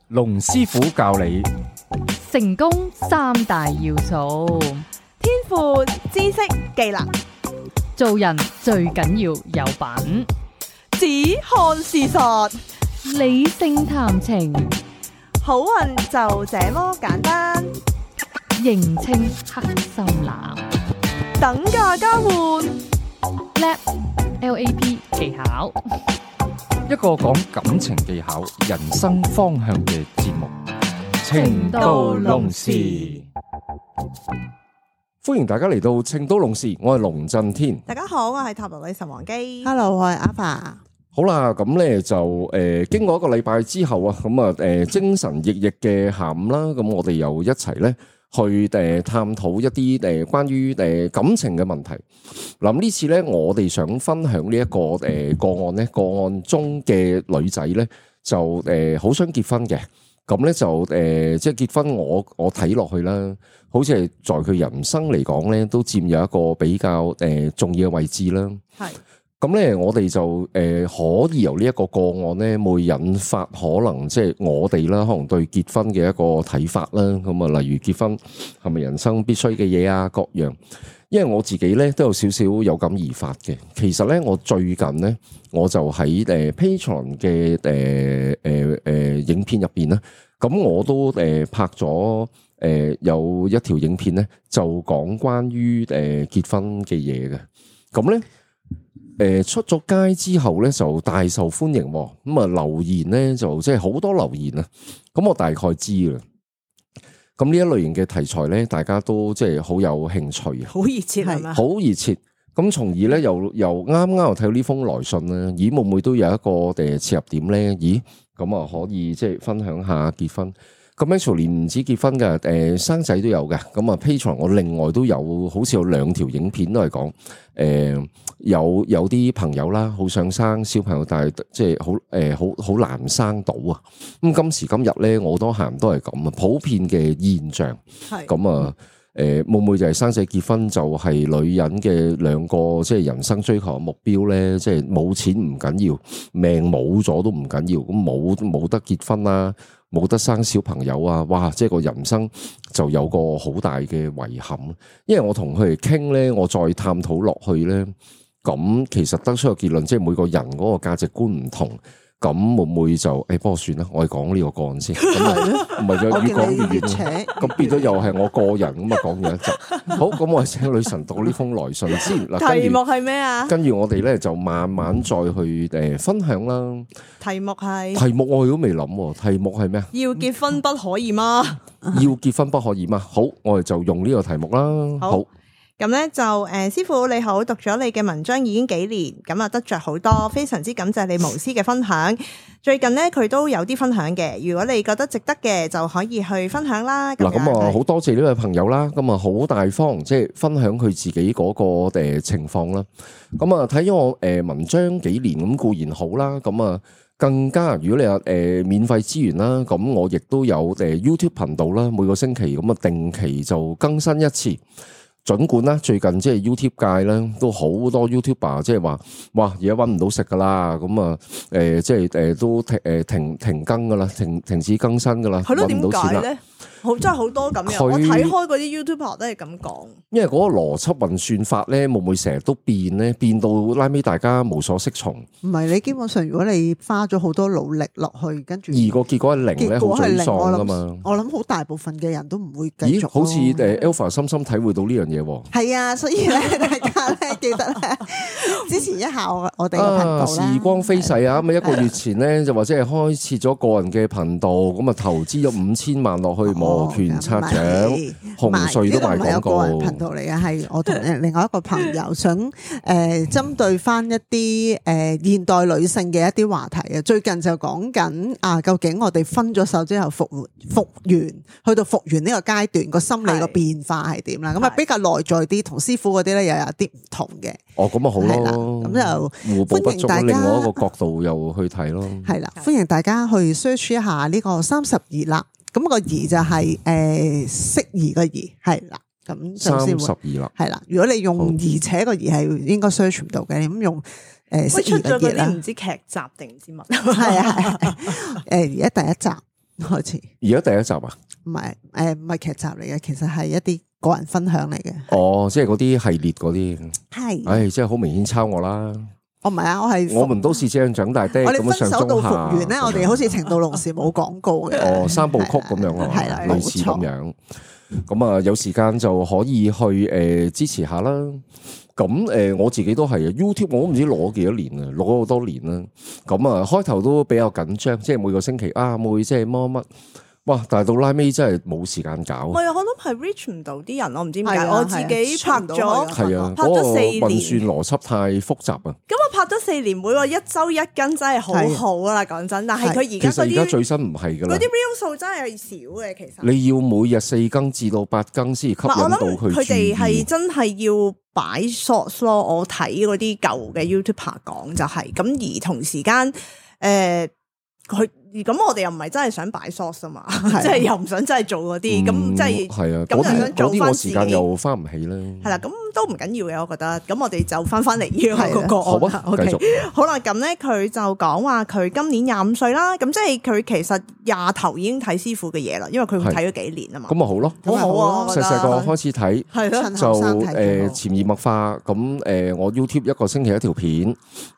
龍師傅教你成功三大要素，天賦、知識、技能，做人最緊要有品，只看事實，理性談情，好運就這麼簡單。認清黑心男，等價交換LAP 技巧，一個講感情技巧、人生方向嘅節目《情到濃時》。歡迎大家嚟到《情到濃時》，我係龍震天。大家好，我係塔羅女神王姬。Hello， 我係阿爸。好啦，咁咧就經過一個禮拜之後啊，咁啊精神奕奕嘅下午啦，咁我哋又一齊咧去探討一啲關於感情嘅問題。嗱，呢次咧我哋想分享呢一個個案咧，個案中嘅女仔咧就好想結婚嘅，咁咧就即係結婚我睇落去啦，好似係在佢人生嚟講咧都佔有一個比較重要嘅位置啦。係。咁咧，我哋就可以由呢一個個案咧，會引發可能即係我哋啦，可能對結婚嘅一個睇法啦。咁啊，例如結婚係咪人生必須嘅嘢啊，各樣。因為我自己咧都有少少有感而發嘅。其實咧，我最近咧，我就喺Patreon 嘅影片入邊啦。咁我都拍咗有一條影片咧，就講關於結婚嘅嘢嘅。咁咧。出咗街之後咧就大受歡迎，咁啊留言咧就即係好多留言啊，咁我大概知啦。咁呢一類型嘅題材咧，大家都即係好有興趣，好熱切係嘛？好熱切。咁從而咧又啱啱又睇到呢封來信啦，咦會唔會都有一個切入點咧？咦咁啊可以即係分享下結婚。咁 actually 唔止結婚嘅，生仔都有嘅。咁啊 Patreon 我另外都有，好似有2條影片都係講，有啲朋友啦，好想生小朋友，但係即係好難生到啊。咁今時今日咧，我都行都係咁啊，普遍嘅現象。係咁啊，會唔會就係生仔結婚就係女人嘅兩個即係人生追求嘅目標咧？即係冇錢唔緊要，命冇咗都唔緊要，咁冇得結婚啦。冇得生小朋友啊！哇，即係個人生就有個好大嘅遺憾。因為我同佢哋傾咧，我再探討落去咧，咁其實得出個結論，即係每個人嗰個價值觀唔同，咁會唔會就不過算啦，我哋講呢個個案先。唔係就越講越遠，咁變咗又係我個人咁啊，講完一集。好，咁我請女神讀呢封來信先。題目係咩啊？跟住我哋咧就慢慢再去分享啦。題目我都未諗，題目係咩啊？要結婚不可以嗎？要結婚不可以嗎？好，我哋就用呢個題目啦。好。咁咧就師傅你好，讀咗你嘅文章已經幾年，咁啊得着好多，非常之感謝你無私嘅分享。最近咧佢都有啲分享嘅，如果你覺得值得嘅，就可以去分享啦。嗱，咁啊好多謝呢位朋友啦，咁啊好大方，即係分享佢自己嗰個情況啦。咁啊睇咗我文章幾年咁固然好啦，咁啊更加如果你有免費資源啦，咁我亦都有YouTube 頻道啦，每個星期咁啊定期就更新一次。儘管啦，最近即係 YouTube 界咧都好多 YouTuber 即係話，哇，而家搵唔到食噶啦，咁啊，即係都停更噶啦，停止更新噶啦，搵唔到錢啦。真係好多咁樣，我睇開嗰啲 YouTuber 都係咁講。因為嗰個邏輯運算法咧，會唔會成日都變咧？變到拉尾大家無所適從。唔係，你基本上如果你花咗好多努力落去，跟住而個結果係零咧，好沮喪噶嘛。我諗好大部分嘅人都唔會繼續。好似Alpha 深深體會到呢樣嘢喎。係啊，所以咧，大家咧記得咧支持一下我哋嘅頻道啦。時光飛逝啊！咁一個月前咧就或者係開設咗個人嘅頻道，咁啊投資咗5000萬落去摩拳擦掌，紅隧都賣廣告。呢個唔係個人頻道嚟嘅，係我同另外一個朋友想針對翻一啲現代女性嘅一啲話題啊。最近就講緊究竟我哋分咗手之後復原，去到復原呢個階段個心理個變化係點啦？咁啊比較內在啲，同師傅嗰啲咧又有啲唔同嘅。哦，咁啊好咯，咁就互補不足，另外一個角度又去睇咯。係啦，歡迎大家去 search 一下呢個32啦。咁個宜就係適宜嘅宜，係啦。咁就先會32啦，係啦。如果你用而且個宜係應該 search 唔到嘅，咁用適宜出咗嗰嘅熱啦。啲唔知劇集定唔知乜，係啊係，而家第一集開始，而家第一集啊？唔係劇集嚟嘅，其實係一啲個人分享嚟嘅。哦，即係嗰啲系列嗰啲，係，唉，即係好明顯抄我啦。我唔係啊，我係我們都是這樣長大的，我哋咁樣上分手到中下復原咧，我哋好似情到濃時冇廣告嘅。哦三部曲咁樣啊，係啦，類似咁樣。咁啊，有時間就可以去支持下啦。咁我自己都係啊 YouTube，我都唔知攞幾多年啊，攞咗好多年啦。咁啊，開頭都比較緊張，即係每個星期啊，會即係乜，哇！但係到拉尾真係冇時間搞。我有可能係 reach 唔到啲人，我唔知點解。係啊我自己拍咗，係啊，拍咗4年嗰個運算邏輯太複雜啊。咁我拍咗4年，每個一周一斤真係好好啦，講真。但係佢其而家嗰啲實而家最新唔係㗎啦嗰啲 real 數真係少嘅，其實。你要每日4更至到8更先吸引到佢注意。佢哋係真係要擺 shorts 咯。我睇嗰啲舊嘅 YouTuber 講就係咁，而同時間佢。咁我哋又唔係真係想擺 source 啊嘛，即係又唔想真係做嗰啲，咁即係係啊，咁就想做翻自己。嗰啲我時間又翻唔起啦。係啦，咁都唔緊要嘅，我覺得。咁我哋就翻嚟呢個個好啊，OK，繼續好啦。咁咧佢就講話佢今年25歲啦，咁即係佢其實廿頭已經睇師傅嘅嘢啦，因為佢睇咗幾年啊嘛。咁咪好咯，好好啊，細細個開始睇，係咯，就潛移默化。咁我 YouTube 一個星期一條片，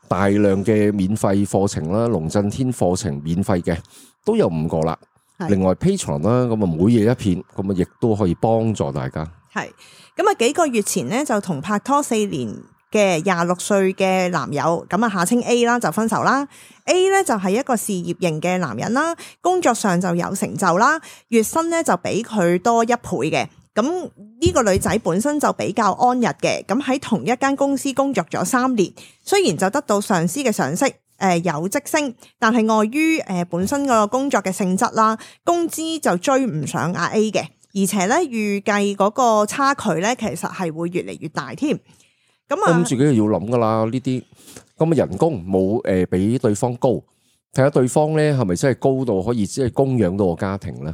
大量嘅免費課程啦，龍震天課程免費嘅。都有5個啦，另外 Patreon 啦，咁啊每夜一片，咁啊亦都可以幫助大家。係咁啊，幾個月前咧就同拍拖4年嘅26歲嘅男友，咁啊下稱 A 啦就分手啦。A 咧就係一個事業型嘅男人啦，工作上就有成就啦，月薪咧就比佢多1倍嘅。咁呢個女仔本身就比較安逸嘅，咁喺同一間公司工作咗3年，雖然就得到上司嘅賞識。有職升，但係礙於本身個工作嘅性質啦，工資就追唔上阿 A 嘅，而且咧預計嗰個差距咧，其實係會越嚟越大添。咁啊，咁自己就要諗噶啦，呢啲咁嘅人工冇比對方高，睇下對方咧係咪真係高到可以即係供養到個家庭咧？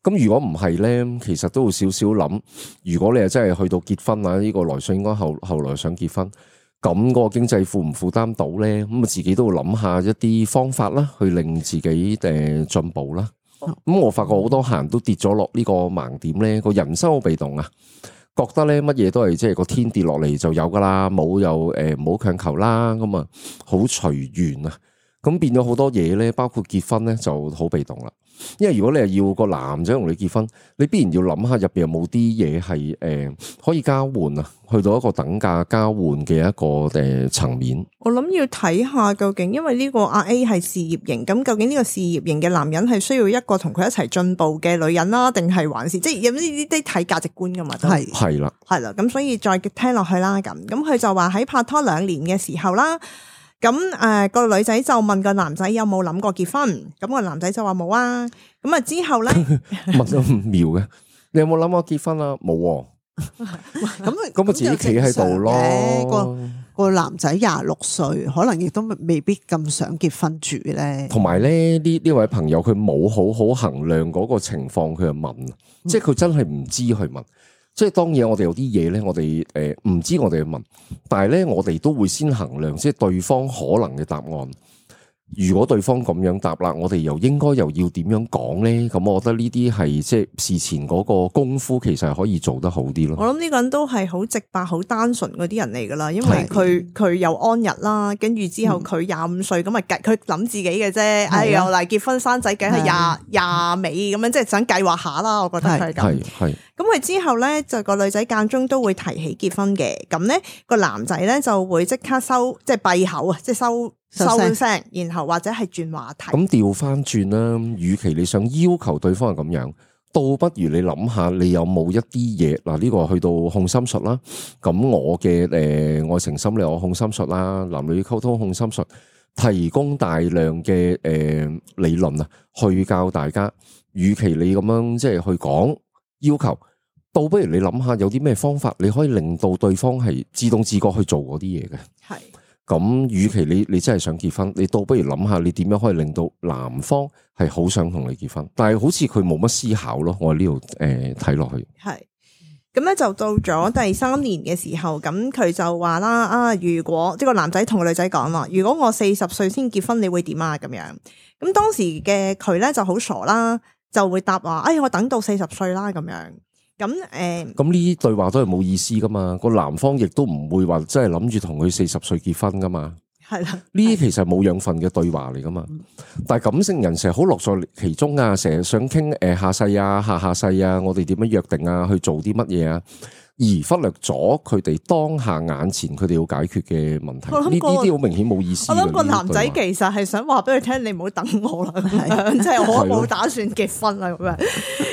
咁如果唔係咧，其實都會少少諗。如果你係真係去到結婚啊，呢個來信應該後來想結婚。咁個經濟負唔負擔到咧？咁啊自己都要諗下一啲方法啦，去令自己進步啦。咁我發覺好多客人都跌咗落呢個盲點咧，個人生好被動啊，覺得咧乜嘢都係即係個天跌落嚟就有噶啦，冇又唔好強求啦，咁啊好隨緣啊。咁變咗好多嘢咧，包括結婚咧就好被動啦。因為如果你係要個男仔同你結婚，你必然要諗下入邊有冇啲嘢係可以交換啊，去到一個等價交換嘅一個層面。我諗要睇下究竟，因為呢個阿 A 係事業型，咁究竟呢個事業型嘅男人係需要一個同佢一齊進步嘅女人啦，定係還是即係有呢啲睇價值觀噶嘛？係啦，係啦，咁所以再聽落去啦。咁佢就話喺拍拖2年嘅時候啦。咁個女仔就問個男仔有冇諗過結婚，咁個男仔就話冇啊。咁啊之後咧問得唔妙嘅，你有冇諗過結婚啊？冇。咁我自己企喺度咯。個男仔26歲，可能亦都未必咁想結婚住咧。同埋咧呢位朋友佢冇好好衡量嗰個情況，佢就問，即係佢真係唔知去問。即係當然我哋有啲嘢咧，我哋唔知我哋去問，但係咧我哋都會先衡量即係對方可能嘅答案。如果對方咁樣答啦，我哋又應該又要點樣講咧？咁我覺得呢啲係即係事前嗰個功夫，其實係可以做得好啲咯。我諗呢個人都係好直白、好單純嗰啲人嚟噶啦，因為佢又安逸啦，跟住之後佢25歲咁啊，佢諗自己嘅啫。哎，又嚟結婚生仔，梗係廿尾咁樣，即係想計劃下啦。我覺得佢係咁。係。咁佢之後咧，就個女仔間中都會提起結婚嘅，咁咧個男仔咧就會即刻即係閉口啊，即係收聲，然後或者係轉話題。咁調翻轉啦，與其你想要求對方係咁樣，倒不如你諗下，你有冇一啲嘢嗱？呢個去到控心術啦，咁我嘅愛情心理學控心術啦，男女溝通控心術，提供大量嘅理論啊，去教大家。與其你咁樣即係去講要求，倒不如你諗下有啲咩方法，你可以令到對方係自動自覺去做嗰啲嘢嘅。係。咁，與其你真係想結婚，你倒不如諗下你點樣可以令到男方係好想同你結婚，但係好似佢冇乜思考咯。我喺呢度睇落去。係，咁咧就到咗第3年嘅時候，咁佢就話啦如果即係個男仔同個女仔講話，如果我40歲先結婚，你會點啊？咁樣，咁當時嘅佢咧就好傻啦，就會答話，我等到40歲啦咁樣。咁咁呢啲對話都係冇意思噶嘛，個男方亦都唔會話真係諗住同佢40歲結婚噶嘛。係啦，呢啲其實冇養分嘅對話嚟噶嘛，但係感性人成日好樂在其中啊，成日想傾下世啊、下世啊，我哋點樣約定啊，去做啲乜嘢啊，而忽略咗佢哋當下眼前佢哋要解決嘅問題。呢啲好明顯冇意思。我諗個男仔其實係想話俾佢聽，你唔好等我啦，咁樣即係我冇打算結婚啦咁樣。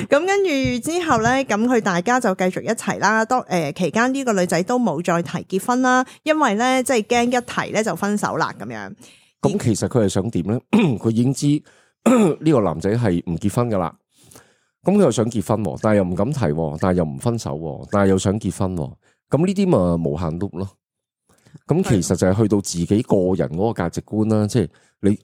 咁跟住之後咧，咁佢大家就繼續一齊啦。當期間呢個女仔都冇再提結婚啦，因為咧即係驚一提咧就分手啦咁樣。咁其實佢係想點咧？佢已經知呢個男仔係唔結婚噶啦。咁佢又想結婚，但係又唔敢提，但係又唔分手，但係又想結婚。咁呢啲咪無限 loop 咯。咁其實就係去到自己個人嗰個價值觀啦，即係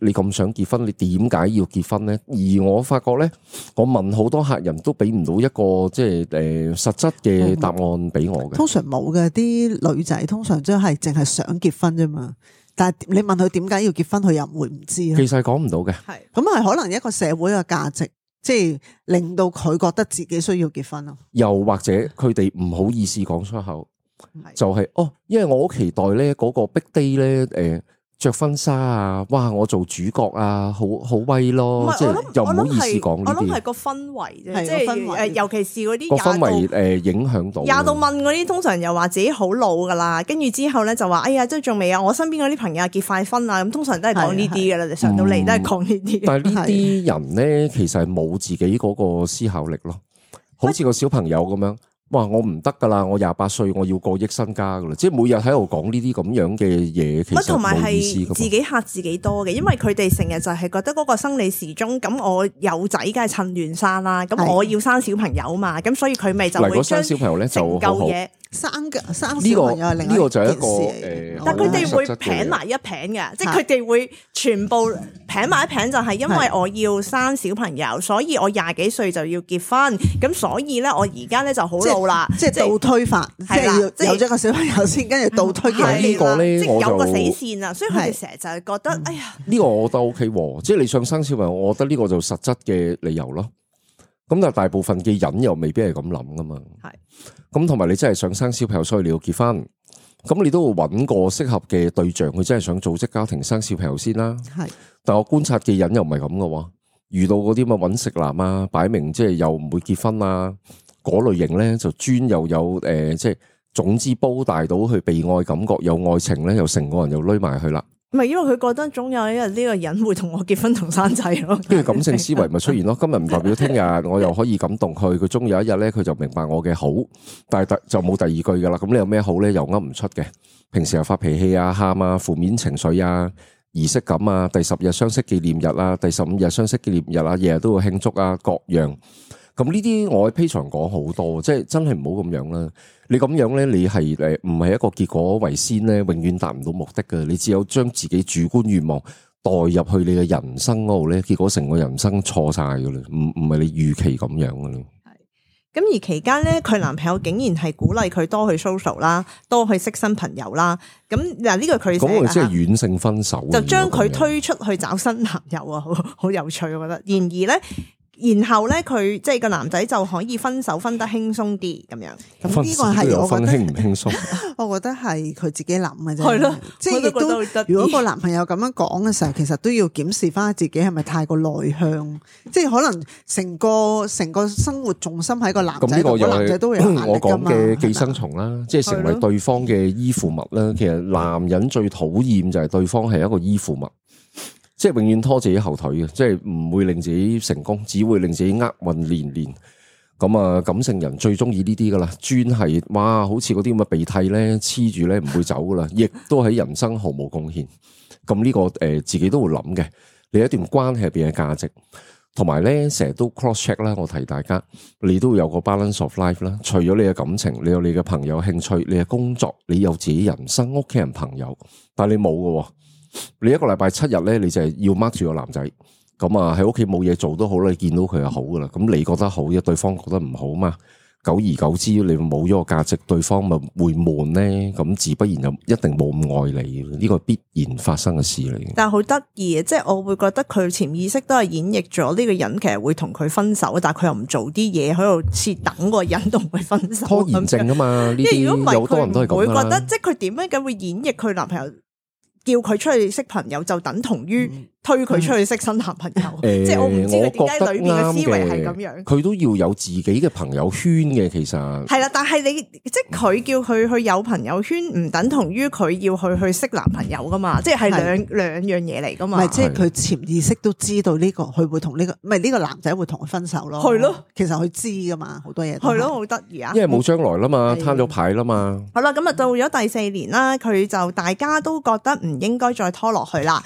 你咁想結婚，你點解要結婚咧？而我發覺咧，我問好多客人都俾唔到一個即係實質嘅答案俾我嘅。通常冇嘅，啲女仔通常都係淨係想結婚啫嘛。但係你問佢點解要結婚，佢又唔會唔知。其實係講唔到嘅。係咁係可能一個社會嘅價值，即係令到佢覺得自己需要結婚咯。又或者佢哋唔好意思講出口，就係因為我好期待咧嗰個 big day 咧，着婚紗啊，哇！我做主角啊，好威咯，即係又唔好意思講呢啲。我諗係個氛圍啫，即氛圍係尤其是嗰啲個氛圍影響到。廿度問嗰啲，通常又話自己好老噶啦，跟住之後咧就話，哎呀，即係仲未啊！我身邊嗰啲朋友結快婚啊，咁通常都係講呢啲噶啦，上到嚟都係講呢啲。但係呢啲人咧，其實係冇自己嗰個思考力咯，好似個小朋友咁樣。哇！我唔得噶啦，我28歲，我要過億身家噶啦，即係每日喺度講呢啲咁樣嘅嘢，其實同埋冇意思噶嘛。係自己嚇自己多嘅，因為佢哋成日就係覺得嗰個生理時鐘，咁我有仔梗係趁亂生啦，咁我要生小朋友嘛，咁所以佢咪就會將小朋友咧就好嘢。生小朋友係另外一件事，但佢哋會拼埋一拼嘅，即係佢哋會全部拼埋一拼，就係因為我要生小朋友，所以我20幾歲就要結婚，咁所以咧我而家咧就好老啦，即係倒推法，即係要有咗個小朋友先，跟住倒推嘅呢個咧，即係有個死線啊，所以佢哋成日就係覺得，哎呀，呢個我覺得 OK 喎，即係你想生小朋友，我覺得呢個就實質嘅理由咯。咁但係大部分嘅人又未必係咁諗噶嘛。係。咁同埋你真係想生小朋友，所以你要結婚，咁你都會揾個適合嘅對象，佢真係想組織家庭生小朋友先啦。係，但我觀察嘅人又唔係咁噶喎，遇到嗰啲咁嘅揾食男啊，擺明即係又唔會結婚啊，嗰類型咧就專又有即係總之煲大到去被愛感覺，有愛情咧，又成個人又匿埋去啦。唔係，因為佢覺得總有一日呢個人會同我結婚同生仔咯，跟住感性思維咪出現咯。今日唔代表聽日我又可以感動佢，佢終有一日咧佢就明白我嘅好，但係就冇第二句噶啦。咁你有咩好咧？又噏唔出嘅。平時又發脾氣啊、喊啊、負面情緒啊、儀式感啊、第10日相識紀念日啊、第15日相識紀念日啊，日日都會慶祝啊，各樣。咁呢啲我喺 Patreon 講好多，即係真係唔好咁樣啦。你咁樣咧，你係唔係一個結果為先咧，永遠達唔到目的嘅。你只有將自己主觀願望代入去你嘅人生嗰度咧，結果成個人生錯晒噶啦，唔係你預期咁樣噶啦。係。咁而期間咧，佢男朋友竟然係鼓勵佢多去 social 啦，多去識新朋友啦。咁嗱呢個佢咁我即係軟性分手，就將佢推出去找新男友啊，好有趣，我覺得。然而咧。然後咧，佢即係個男仔就可以分手分得輕鬆啲咁樣。咁呢個係我覺得輕唔輕鬆？我覺得係佢自己諗嘅啫。係咯，即係亦都如果個男朋友咁樣講嘅時候，其實都要檢視翻自己係咪太過內向。即係可能成個生活重心喺個男仔度，個男仔都有壓力㗎嘛。我講嘅寄生蟲啦，即係成為對方嘅依附物啦。其實男人最討厭就係對方係一個依附物。即係永遠拖自己後腿嘅，即係唔會令自己成功，只會令自己厄運連連。咁啊，感性人最中意呢啲噶啦，專係哇，好似嗰啲咁嘅鼻涕咧黐住咧唔會走噶啦，亦都喺人生毫無貢獻。咁呢個自己都會諗嘅，你一段關係入邊嘅價值，同埋咧成日都 cross check 啦。我提大家，你都會有個 balance of life 啦。除咗你嘅感情，你有你嘅朋友興趣，你嘅工作，你有自己人生、屋企人、朋友，但係你冇嘅。你一個禮拜7日咧，你就係要 mark 住個男仔，咁啊喺屋企冇嘢做都好啦，你見到佢係好噶啦，咁你覺得好，一對方覺得唔好嘛，久而久之，你冇咗個價值，對方咪會悶咧。咁自不然就一定冇咁愛你，呢個必然發生嘅事嚟嘅。但係好得意嘅，即係我會覺得佢潛意識都係演繹咗呢個人其實會同佢分手，但係佢又唔做啲嘢喺度設等個人同佢分手。拖延症啊嘛，呢啲因為如果唔係有好多人都係佢唔會咁覺得，即係佢點樣咁會演繹佢男朋友叫佢出去識朋友，就等同於推佢出去識新男朋友。即係我唔知佢點解裏面嘅思維係咁樣。佢都要有自己嘅朋友圈嘅，其實係啦，但係你即係佢叫佢去有朋友圈，唔等同於佢要去識男朋友噶嘛？即係兩樣嘢嚟噶嘛？唔係，即係佢潛意識都知道呢個佢會同呢個，唔係呢個男仔會同佢分手咯。係咯，其實佢知噶嘛，好多嘢都係咯，好得意啊！因為冇將來啦嘛，攤咗牌啦嘛。好啦，咁啊到咗第4年啦，佢就大家都覺得唔應該再拖落去啦。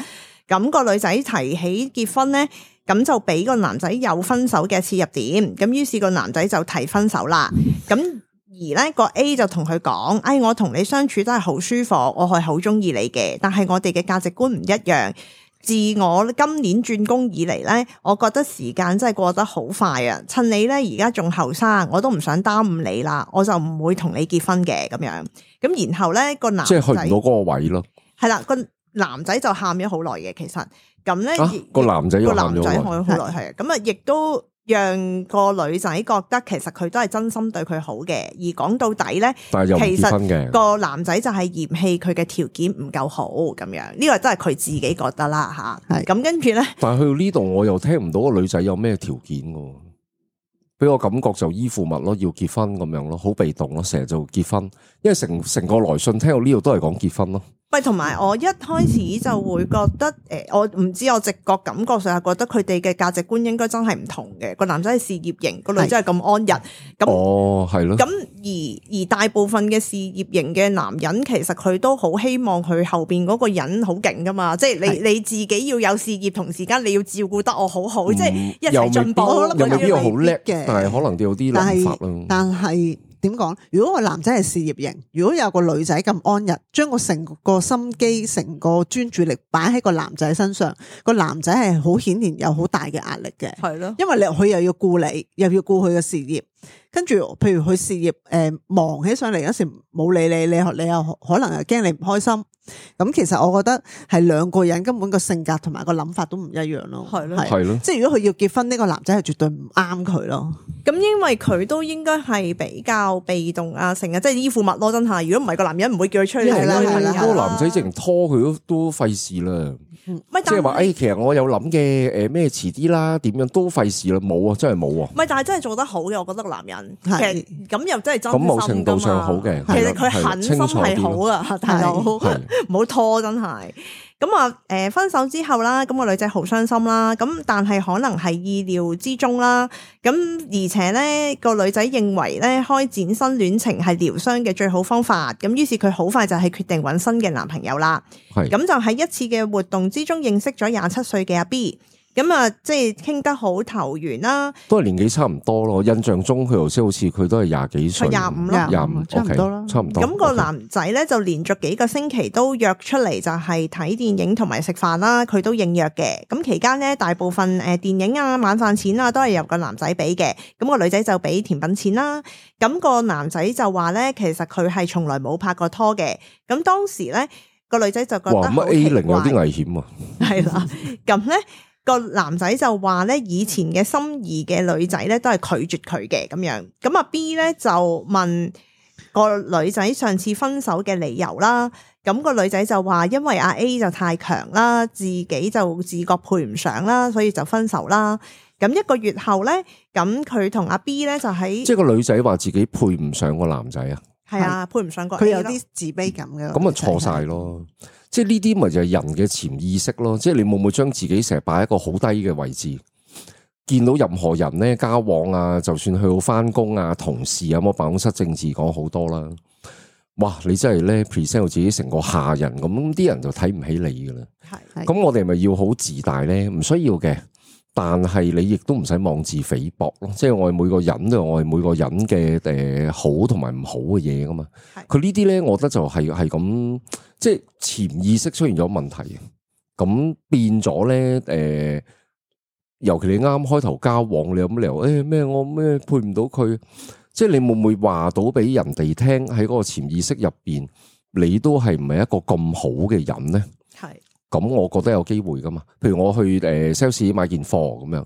咁個女仔提起結婚咧，咁就俾個男仔有分手嘅切入點。咁於是個男仔就提分手啦。咁而咧個 A 就同佢講：我同你相處都係好舒服，我係好中意你嘅，但係我哋嘅價值觀唔一樣。自我今年轉工以嚟咧，我覺得時間真係過得好快啊！趁你咧而家仲後生，我都唔想耽誤你啦，我就唔會同你結婚嘅咁樣。咁然後咧個男仔即係去唔到嗰個位咯。係啦，個男仔就喊咗好耐嘅，其實咁咧個男仔個男仔喊咗好耐係啊，咁啊亦都讓個女仔覺得其實佢都係真心對佢好嘅，而講到底咧，但係又唔結婚嘅個男仔就係嫌棄佢嘅條件唔夠好咁樣，呢個都係佢自己覺得啦吓。咁跟住咧，但係去到呢度我又聽唔到個女仔有咩條件喎，俾我感覺就依附物咯，要結婚咁樣咯，好被動咯，成日就結婚，因為成個來信聽到呢度都係講結婚咯。喂，同埋我一開始就會覺得，我唔知我直覺感覺上係覺得佢哋嘅價值觀應該真係唔同嘅。個男仔係事業型，個女仔係咁安逸。咁哦，係咯。咁而大部分嘅事業型嘅男人，其實佢都好希望佢後邊嗰個人好勁噶嘛。即係你自己要有事業，同時間你要照顧得我好好，即係一齊進步。又未必好叻嘅，但係可能都有啲諗法咯。但係點講？如果個男仔係事業型，如果有個女仔咁安逸，將個成個心機、成個專注力擺喺個男仔身上，個男仔係好顯然有好大嘅壓力嘅。係咯，因為佢又要顧你，又要顧佢嘅事業，跟住譬如佢事業忙起上嚟嗰時冇理你，你又可能又驚你唔開心。咁其實我覺得係兩個人根本個性格同埋個諗法都唔一樣咯。係咯，係咯。即係如果佢要結婚，呢個男仔係絕對唔啱佢咯。咁因為佢都應該係比較被動啊，成日即係依附物咯，真係。如果唔係個男人唔會叫佢出去。係啦係啦，嗰個男仔淨拖佢都費事啦。即係話其實我有諗嘅，咩遲啲啦，點樣都費事啦，冇啊，真係冇啊。唔係，但係真係做得好嘅，我覺得個男人其實咁又真係真心咁某程度上好嘅，其實佢狠心係好啊，大佬唔好拖真係。咁啊，分手之後啦，咁個女仔好傷心啦，咁但係可能係意料之中啦。咁而且咧，個女仔認為咧，開展新戀情係療傷嘅最好方法。咁於是佢好快就係決定揾新嘅男朋友啦。咁就喺一次嘅活動之中認識咗27歲嘅阿 B。咁啊，即係傾得好投緣啦，都係年紀差唔多咯。印象中佢頭先好似佢都係廿幾歲， 25咯，25差唔多啦，差唔多。咁個男仔咧就連續幾個星期都約出嚟，就係睇電影同埋食飯啦，佢都應約嘅。咁期間咧，大部分電影啊、晚飯錢啊，都係由個男仔俾嘅。咁個女仔就俾甜品錢啦。咁個男仔就話咧，其實佢係從來冇拍過拖嘅。咁當時咧，個女仔就覺得好奇怪，A0有啲危險啊。係啦，咁咧。個男仔就話咧，以前嘅心儀嘅女仔咧都係拒絕佢嘅咁樣。咁阿 B 咧就問個女仔上次分手嘅理由啦。咁個女仔就話因為阿 A 就太強啦，自己就自覺配唔上啦，所以就分手啦。咁1個月後咧，咁佢同阿 B 咧就喺即係個女仔話自己配唔上個男仔啊。係啊，配唔上個 A 佢有啲自卑感嘅。咁啊錯晒咯。即係呢啲咪就係人嘅潛意識咯，即係你會唔會將自己成日擺喺一個好低嘅位置，見到任何人咧交往啊，就算去到翻工啊、同事啊，我辦公室政治講好多啦。哇！你真係咧 present 到自己成個下人咁，啲人就睇唔起你噶啦。係，咁我哋咪要好自大咧？唔需要嘅，但係你亦都唔使妄自菲薄咯。即係我哋每個人都有我哋每個人嘅好同埋唔好嘅嘢噶嘛。佢呢啲咧，我覺得就係咁。即係潛意識出現咗問題，咁變咗咧，尤其你啱開頭交往，你有乜理由咩我咩配唔到佢？即係你會唔會話到俾人哋聽喺嗰個潛意識入邊，你都係唔係一個咁好嘅人咧？係。咁我覺得有機會噶嘛。譬如我去sales 買件貨咁樣，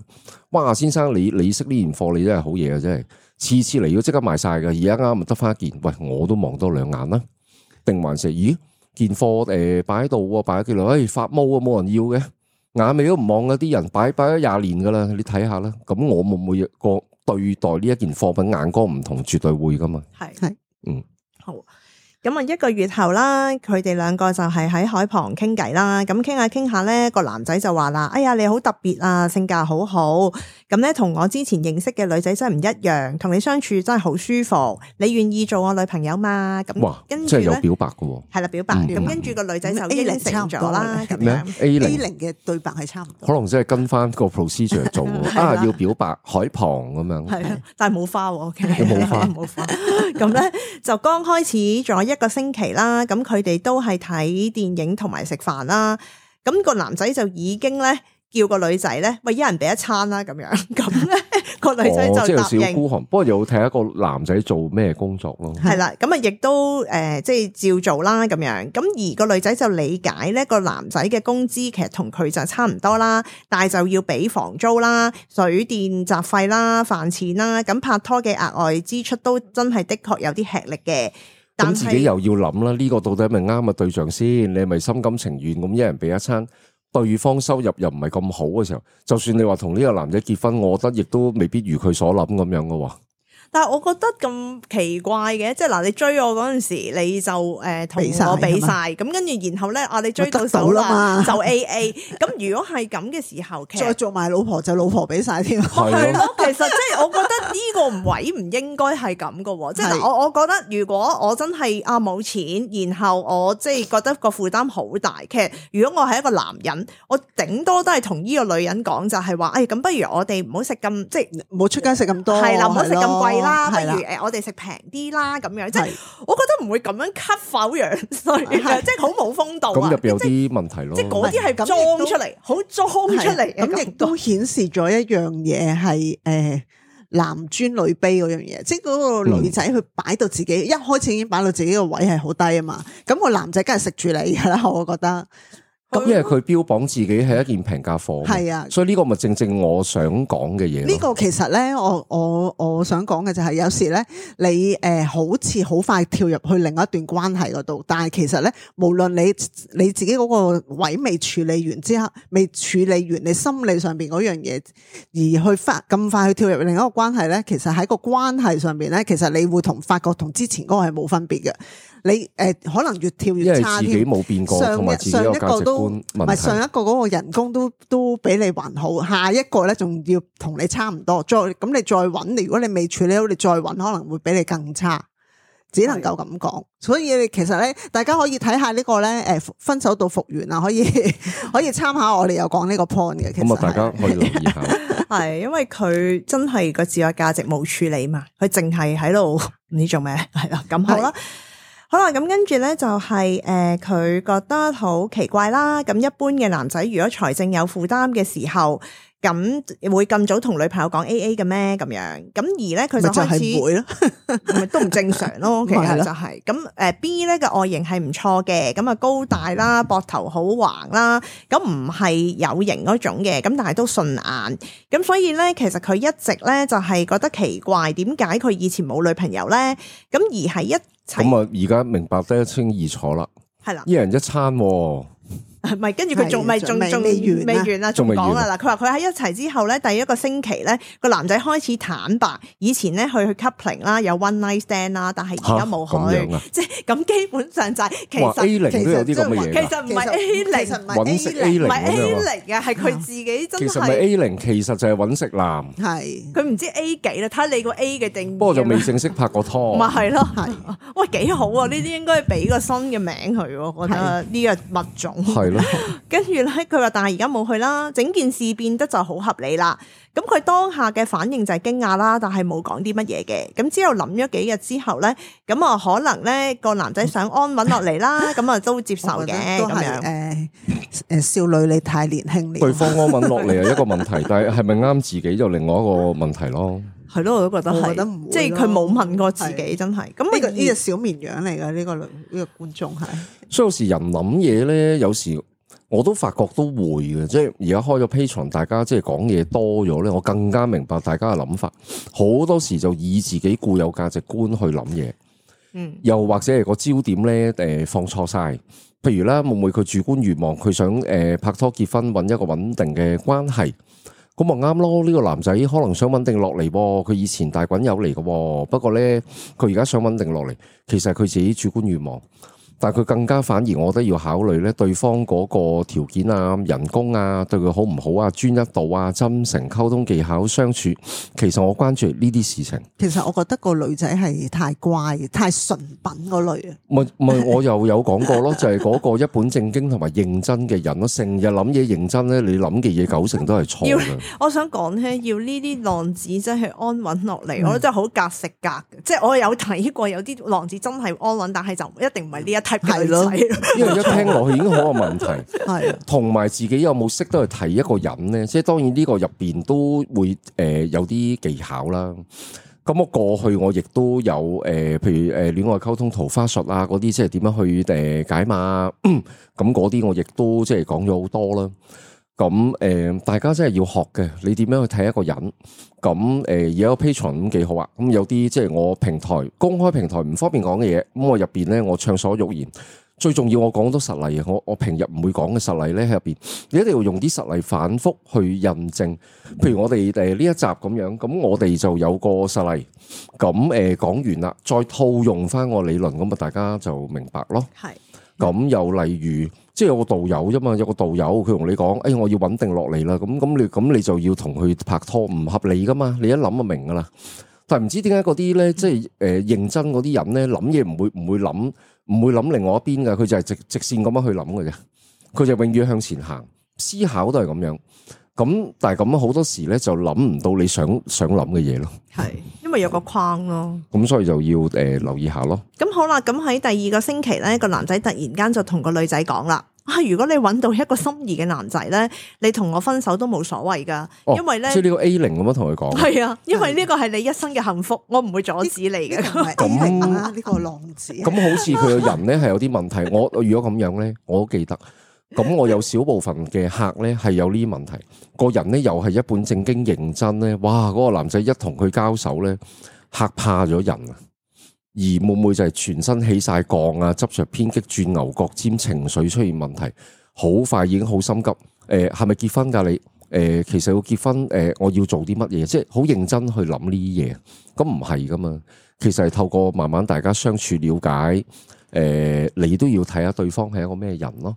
哇，先生你識呢件貨，你真係好嘢啊！真係次次嚟都即刻賣晒㗎。而家啱咪得翻一件，喂，我都望多兩眼啦。定還是咦件貨擺喺度，擺咗幾耐，發毛啊，冇人要嘅，眼尾都唔望嗰啲人擺咗20年噶啦，你睇下啦。咁我會唔會個對待呢一件貨品眼光唔同？絕對會噶嘛。係，嗯，好。咁啊，1個月後啦，佢哋兩個就係喺海旁傾偈啦。咁傾下傾下咧，個男仔就話啦：哎呀，你好特別啊，性格好好。咁咧，同我之前認識嘅女仔真係唔一樣，同你相處真係好舒服。你願意做我女朋友嘛？咁哇，跟住咧，即係有表白嘅喎。係啦，表白。咁跟住個女仔就應承咗啦。咁咩樣 A0 嘅對白係差唔多，可能真係跟翻個 procedure 做啊，要表白海旁咁樣。係，但係冇花喎。冇花，冇花。咁咧就剛開始咗1個星期啦。咁佢哋都係睇電影同埋食飯啦。咁個男仔就已經咧叫個女仔咧，喂，一人俾一餐啦咁樣。咁咧個女仔就答應。即係有少少孤寒，不過又睇一個男仔做咩工作咯。係啦，咁啊亦都即係照做啦咁樣。咁而個女仔就理解咧，個男仔嘅工資其實同佢就差唔多啦，但係就要俾房租啦、水電雜費啦、飯錢啦。咁拍拖嘅額外支出都真係的確有啲吃力嘅。咁自己又要諗啦，呢個到底係咪啱嘅對象先？你係咪心甘情願咁一人俾一餐？對方收入又唔係咁好嘅時候，就算你話同呢個男仔結婚，我覺得亦都未必如佢所諗咁樣嘅喎。但係我覺得咁奇怪嘅，即係嗱，你追我嗰陣時，你就同我俾晒，咁跟住然後咧你追到手啦就 AA。咁如果係咁嘅時候，其實再做埋老婆就老婆俾晒添。係咯，其實即係我覺得呢個位唔應該係咁嘅。即係嗱，我覺得如果我真係冇錢，然後我即係覺得個負擔好大，其實如果我係一個男人，我頂多都係同呢個女人講就係話，咁不如我哋唔好食咁，即係唔好出街食咁多，係啦，唔好食咁貴啦，不係啦如我哋食平啲啦，咁樣即係我覺得唔會咁樣 cut 否樣衰嘅，即係好冇風度啊！咁入邊有啲問題咯，即係嗰啲係裝出嚟，好裝出嚟，咁亦都顯示咗一樣嘢係男尊女卑嗰樣嘢，即係嗰個女仔佢擺到自己一開始已經擺到自己個位係好低啊嘛，咁個男仔梗係食住你噶啦，我覺得。咁因為佢標榜自己係一件平價貨，係啊，所以呢個咪正正我想講嘅嘢。呢個其實咧，我想講嘅就係有時咧，你好似好快跳入去另一段關係嗰度，但係其實咧，無論你自己嗰個位未處理完之後，未處理完你心理上邊嗰樣嘢，而去咁快去跳入另一個關係咧，其實喺個關係上邊咧，其實你會發覺同之前嗰個係冇分別嘅。你可能越跳越差添，因為自己冇變過，同埋自己個價值觀問題。唔係上一個嗰個人工都比你還好，下一個咧仲要同你差唔多，咁你再揾，如果你未處理好，你再揾可能會比你更差，只能夠咁講。所以你其實咧，大家可以睇下呢個咧，分手到復原啊，可以參考我哋有講呢個 point 嘅。其實咁啊，大家可以留意下。係因為佢真係個自我價值冇處理嘛，佢淨係喺度唔知做咩，係啦，咁好啦。好啦，咁跟住咧就係佢覺得好奇怪啦。咁一般嘅男仔如果財政有負擔嘅時候，咁會咁早同女朋友講 AA 嘅咩？咁樣咁而咧佢就開始會咯，咪都唔正常咯。其實就係咁B 咧嘅外形係唔錯嘅，咁啊高大啦，膊頭好橫啦，咁唔係有型嗰種嘅，咁但係都順眼。咁所以咧，其實佢一直咧就係覺得奇怪，點解佢以前冇女朋友咧？咁而係咁啊，而家明白得一清二楚啦。係啦，一人一餐。唔係，跟住佢仲未完啦，仲講啊嗱，佢話佢喺一齊之後咧，第一個星期咧，個男仔開始坦白，以前咧去 coupling 啦，有 one night stand 啦，但係而家冇去，即係咁基本上就係其實 A0都有啲咁嘅嘢，其實唔係 A0，揾食 A0 唔係 A0 嘅，係佢自己真係。其實唔係 A0，其實就係揾食男。係佢唔知 A 幾啦，睇下你個 A 嘅定義。不過就未正式拍過拖。咪係咯，喂幾好啊！呢啲應該俾個新嘅名佢，我覺得呢個物種。跟住咧，佢話但係而家冇去啦，整件事變得就好合理啦。咁佢當下嘅反應就係驚訝啦，但係冇講啲乜嘢嘅。咁之後諗咗幾日之後咧，咁啊可能咧個男仔想安穩落嚟啦，咁啊都接受嘅咁樣。少女你太年輕了，對方安穩落嚟係一個問題，但係咪啱自己就另外一個問題咯。係咯，我都覺得係，我覺得唔會咯即係佢冇問過自己，真係。咁呢個呢隻小綿羊嚟㗎，呢個觀眾係。所以有時人諗嘢咧，有時我都發覺都會嘅，即係而家開咗 Patreon，大家即係講嘢多咗咧，我更加明白大家嘅諗法。好多時就以自己固有價值觀去諗嘢，又或者係個焦點咧放錯晒。譬如啦，會唔會佢主觀願望，佢想拍拖結婚，揾一個穩定嘅關係，咁咪啱咯？呢個男仔可能想穩定落嚟，佢以前大滾友嚟嘅，不過咧佢而家想穩定落嚟，其實係佢自己主觀願望。但係佢更加反而，我覺得要考慮咧，對方嗰個條件啊、人工啊，對佢好唔好啊、專一度啊、真誠溝通技巧、相處，其實我關注呢啲事情。其實我覺得個女仔係太乖、太純品嗰類啊。唔係，我又有講過咯，就係嗰個一本正經同埋認真嘅人咯，成日諗嘢認真咧，你諗嘅嘢90%都係錯嘅。我想講咧，要呢啲浪子真係安穩落嚟，我覺得真係好格食格嘅。即係我有睇過有啲浪子真係安穩，但係就一定唔係呢一係咯，因為一聽落去已經好有問題，係同埋自己有冇識得去睇一個人咧？即係當然呢個入邊都會有啲技巧啦。咁我過去我亦都有譬如戀愛溝通桃花術啊嗰啲，即係點樣去解碼咁嗰啲，我亦都即係講咗好多啦。咁大家真係要學嘅，你點樣去睇一個人？咁而家個 Patreon 咁幾好啊！咁有啲即係我平台公開平台唔方便講嘅嘢，咁我入邊咧我暢所欲言。最重要我講多實例啊！我平日唔會講嘅實例咧喺入邊，你一定要用啲實例反覆去印證。譬如我哋呢一集咁樣，咁我哋就有個實例，咁講完啦，再套用翻個理論，咁啊大家就明白咯。係。咁又例如，即係有個導友啫嘛，有個導友佢同你講，我要穩定落嚟啦，咁你就要同佢拍拖，唔合理噶嘛，你一諗就明噶啦。但係唔知點解嗰啲咧，即係認真嗰啲人咧，諗嘢唔會諗另外一邊噶，佢就係直線咁樣去諗嘅啫，佢就永遠向前行，思考都係咁樣。咁但係咁好多時咧就諗唔到你想諗嘅嘢咯，係因為有個框咯，咁所以就要留意下咯。咁好啦，咁喺第二個星期咧，個男仔突然間就同個女仔講啦，如果你揾到一個心儀嘅男仔咧，你同我分手都冇所謂噶，因為咧即係呢個 A0咁樣同佢講，係啊，因為呢個係你一生嘅幸福，我唔會阻止你嘅。咁呢個浪子，咁好似佢個人咧係有啲問題。我如果咁樣咧，我都記得。咁我有少部分嘅客咧係有呢啲問題，個人咧又係一本正經認真咧，哇！嗰個男仔一同佢交手咧，嚇怕咗人啊！而會唔會就係全身起晒槓啊，執着偏激，轉牛角尖，情緒出現問題，好快已經好心急。係咪結婚㗎你？其實要結婚，我要做啲乜嘢？即係好認真去諗呢啲嘢。咁唔係噶嘛，其實係透過慢慢大家相處了解，你都要睇下對方係一個咩人咯。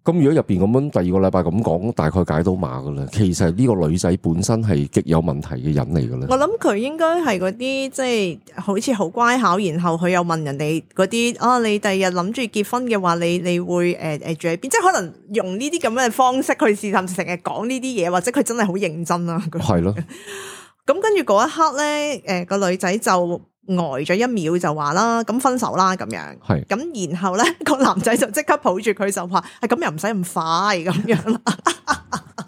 咁如果入邊咁樣第二個禮拜咁講，大概解到碼噶啦。其實呢個女仔本身係極有問題嘅人嚟噶啦。我諗佢應該係嗰啲即係好似好乖巧，然後佢又問人哋嗰啲你第日諗住結婚嘅話，你會住喺邊？即係可能用呢啲咁嘅方式去試探，成日講呢啲嘢，或者佢真係好認真啦。係咯。咁跟住嗰一刻咧，個女仔就呆咗一秒就話啦，咁分手啦咁樣。係咁，然後咧個男仔就即刻抱住佢就話，咁又唔使咁快咁樣啦。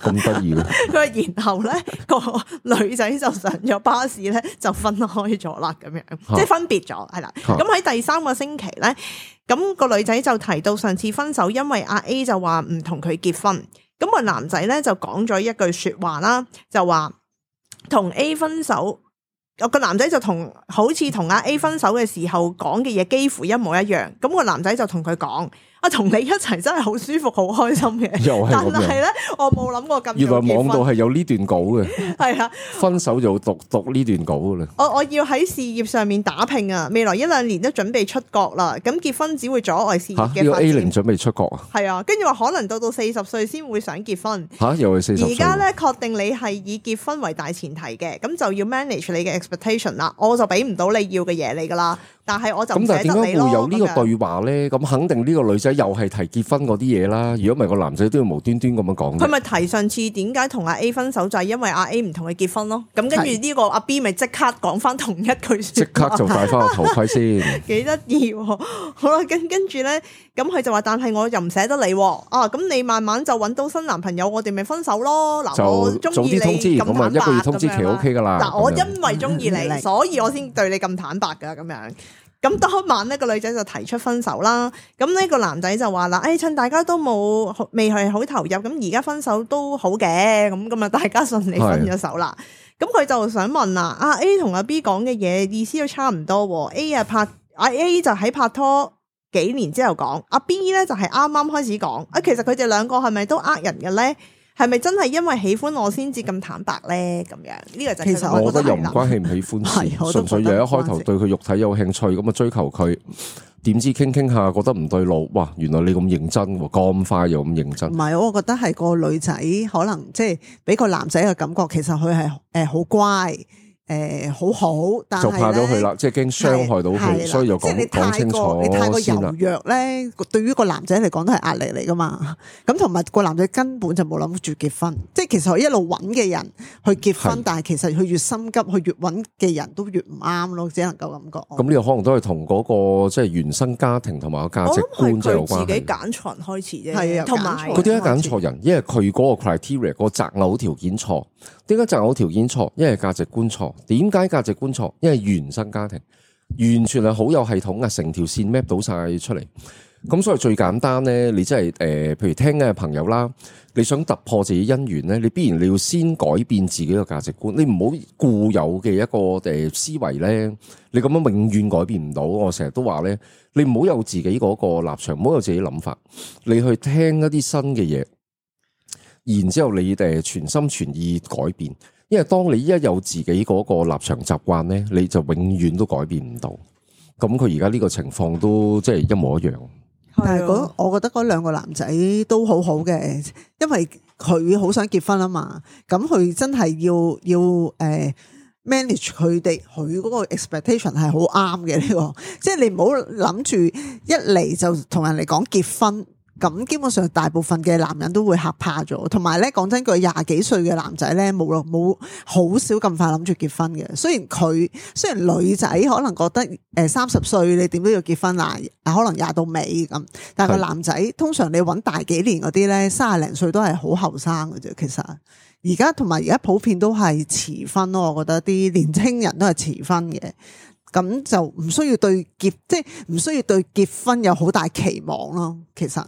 咁得意嘅。佢話然後咧個女仔就上咗巴士咧就分開咗啦，咁樣即係分別咗係啦。咁喺第3個星期咧，咁個女仔就提到上次分手，因為阿 A 就話唔同佢結婚，咁個男仔咧就講咗一句說話啦，就話同 A 分手。個男仔就好似同阿 A 分手嘅時候講嘅嘢幾乎一模一樣，咁個男仔就同佢講：同你一齊真係好舒服，好開心嘅。但係咧，我冇諗過咁。原來網度係有呢段稿嘅。係啊，分手就讀呢段稿噶啦。我要喺事業上面打拼啊！未來1-2年都準備出國啦，咁結婚只會阻礙事業嘅發展。A0 準備出國啊？係啊，跟住話可能到40歲先會想結婚。又係40歲。而家咧確定你係以結婚為大前提嘅，咁就要 manage 你嘅 expectation 啦。我就俾唔到你要嘅嘢你噶啦。但係我就唔咁但係點解捨得你咯。會有呢個咁樣對話咧？咁肯定呢個女仔又係提結婚嗰啲嘢啦。如果唔係個男仔都要無端端咁樣講嘅。佢咪提上次點解同阿 A 分手就係因為阿 A 唔同佢結婚咯。咁跟住呢個阿 B 咪即刻講翻同一句即説話，刻就戴翻個頭盔先。幾得意喎。好啦，跟住咧，咁佢就話：但係我又唔捨得你喎。啊，咁你慢慢就揾到新男朋友，我哋咪分手咯。嗱，我就早中意啲通知，你咁咁啊坦白一個月通知期咁樣啦 OK 噶啦。嗱，我咁樣因為中意你，所以我先對你咁坦白噶咁樣。咁當晚呢個女仔就提出分手啦。咁呢個男仔就話啦：，趁大家都未係好投入，咁而家分手都好嘅。咁啊，大家順利分咗手啦。咁佢就想問啦：，阿 A 同阿 B 講嘅嘢意思都差唔多喎。A 就喺拍拖幾年之後講，阿 B 咧就係啱啱開始講。其實佢哋兩個係咪都呃人嘅咧？係咪真係因為喜歡我先至咁坦白咧？咁樣呢個就其實我覺得又唔關喜唔喜歡事，純粹就一開頭對佢肉體有興趣，咁啊追求佢，點知傾傾下覺得唔對路，哇！原來你咁認真喎，咁快又咁認真。唔係，我覺得係個女仔可能即係俾個男仔嘅感覺，其實佢係好乖。好好，但係就怕咗佢啦，即係驚傷害到佢，所以就講清楚你太過先啦柔弱咧，對於個男仔嚟講都係壓力嚟噶嘛。咁同埋個男仔根本就冇諗住結婚，即係其實佢一路揾嘅人去結婚，但係其實佢越心急，佢越揾嘅人都越唔啱咯，只能夠咁講。咁呢個可能都係同嗰個即係原生家庭同埋個價值觀即係有關係。自己揀錯人開始啫，係啊，同埋佢點解揀錯人？因為佢嗰個 criteria 個擇偶條件錯。點解擇偶條件錯？因為價值觀錯。點解價值觀錯？因為原生家庭完全係好有系統嘅，成條線 map 到晒出嚟。咁所以最簡單咧，你真係譬如聽嘅朋友啦，你想突破自己姻緣咧，你必然你要先改變自己嘅價值觀。你唔好固有嘅一個思維咧，你咁樣永遠改變唔到。我成日都話咧，你唔好有自己嗰個立場，唔好有自己諗法，你去聽一啲新嘅嘢。然之後你全心全意改變，因為當你一有自己嗰個立場習慣咧，你就永遠都改變唔到。咁佢而家呢個情況都即係一模一樣。但係我覺得嗰兩個男仔都好好嘅，因為佢好想結婚啊嘛。咁佢真係要manage 佢嗰個 expectation 係好啱嘅呢個。即係你唔好諗住一嚟就同人哋講結婚。咁基本上大部分嘅男人都會嚇怕咗，同埋咧講真句，20幾歲嘅男仔咧冇好少咁快諗住結婚嘅。雖然女仔可能覺得30歲你點都要結婚啦，可能20到尾咁，但係個男仔通常你揾大幾年嗰啲咧，30零歲都係好後生嘅啫。其實而家普遍都係遲婚咯，我覺得啲年青人都係遲婚嘅。咁就唔需要對結婚有好大期望咯。其實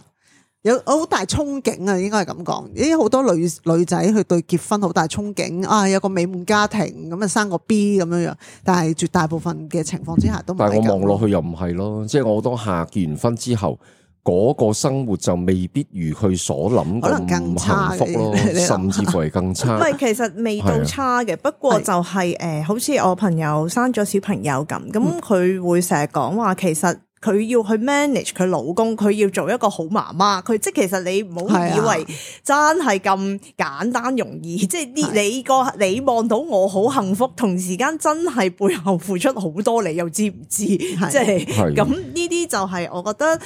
有好大憧憬啊，應該係咁講。啲好多女仔去對結婚好大憧憬啊，有個美滿家庭咁啊，生個 B 咁樣樣。但係絕大部分嘅情況之下都唔係咁。但係我望落去又唔係咯，即係我好多客結完婚之後，嗰個生活就未必如佢所諗咁幸福咯，甚至乎係更差。唔係，其實未到差嘅，不過就係好似我朋友生咗小朋友咁佢會成日講話，其實佢要去 manage 佢老公，佢要做一個好媽媽。佢即係其實你唔好以為真係咁簡單容易，即係你望到我好幸福，同時間真係背後付出好多，你又知唔知？即係咁呢啲就係我覺得。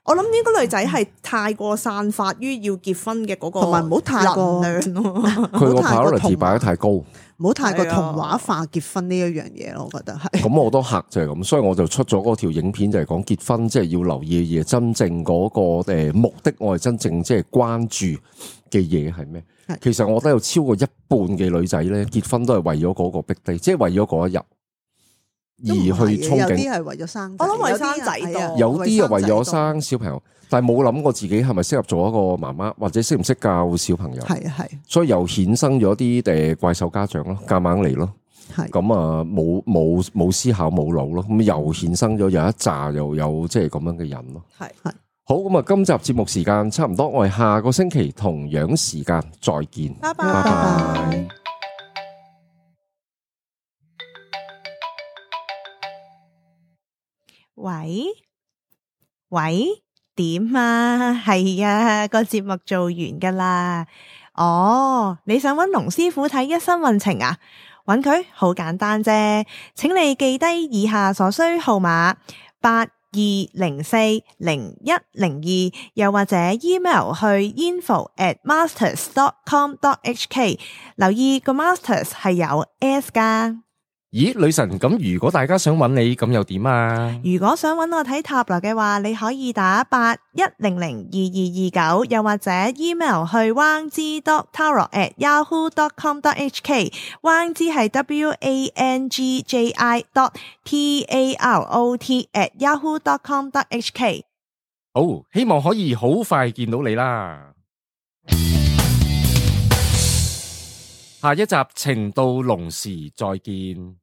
我諗呢個女仔係太過散發於要結婚嘅嗰個，同埋唔好太過能量咯。佢個 priority 擺得太高，唔好太過童話化結婚呢一樣嘢咯。我覺得係。咁我都客就係咁，所以我就出咗嗰條影片，就係講結婚即係要留意嘅嘢，真正嗰個目的，我係真正即係關注嘅嘢係咩？其實我覺得有超過一半嘅女仔咧結婚都係為咗嗰個 big day，即係為咗嗰一日。而去憧憬，有啲係為咗生仔，我諗為生仔多，有啲又為咗生小朋友，但係冇諗過自己係咪適合做一個媽媽，或者識唔識教小朋友。係，所以又衍生咗啲怪獸家長咯，夾硬嚟咯。咁啊，冇思考冇腦咯，咁又衍生咗有一紮又有即係咁樣嘅人咯。係好，咁啊，今集節目時間差唔多，我哋下個星期同樣時間再見，拜拜。喂，點啊？係啊，個節目做完噶啦。哦，你想揾龍師傅睇一生運程啊？揾佢好簡單啫，請你記低以下所需號碼82040102，又或者 email 去 info@masters.com.hk， 留意個 masters 係有 S 噶。咦，女神，咁如果大家想揾你，咁又點啊？如果想揾我睇塔羅嘅話，你可以打81002229，又或者 email 去 wangji.tarot@yahoo.com.hk， wangji 係 WANGJI.TAROT@yahoo.com.hk。好，希望可以好快見到你啦。下一集情到濃時再見。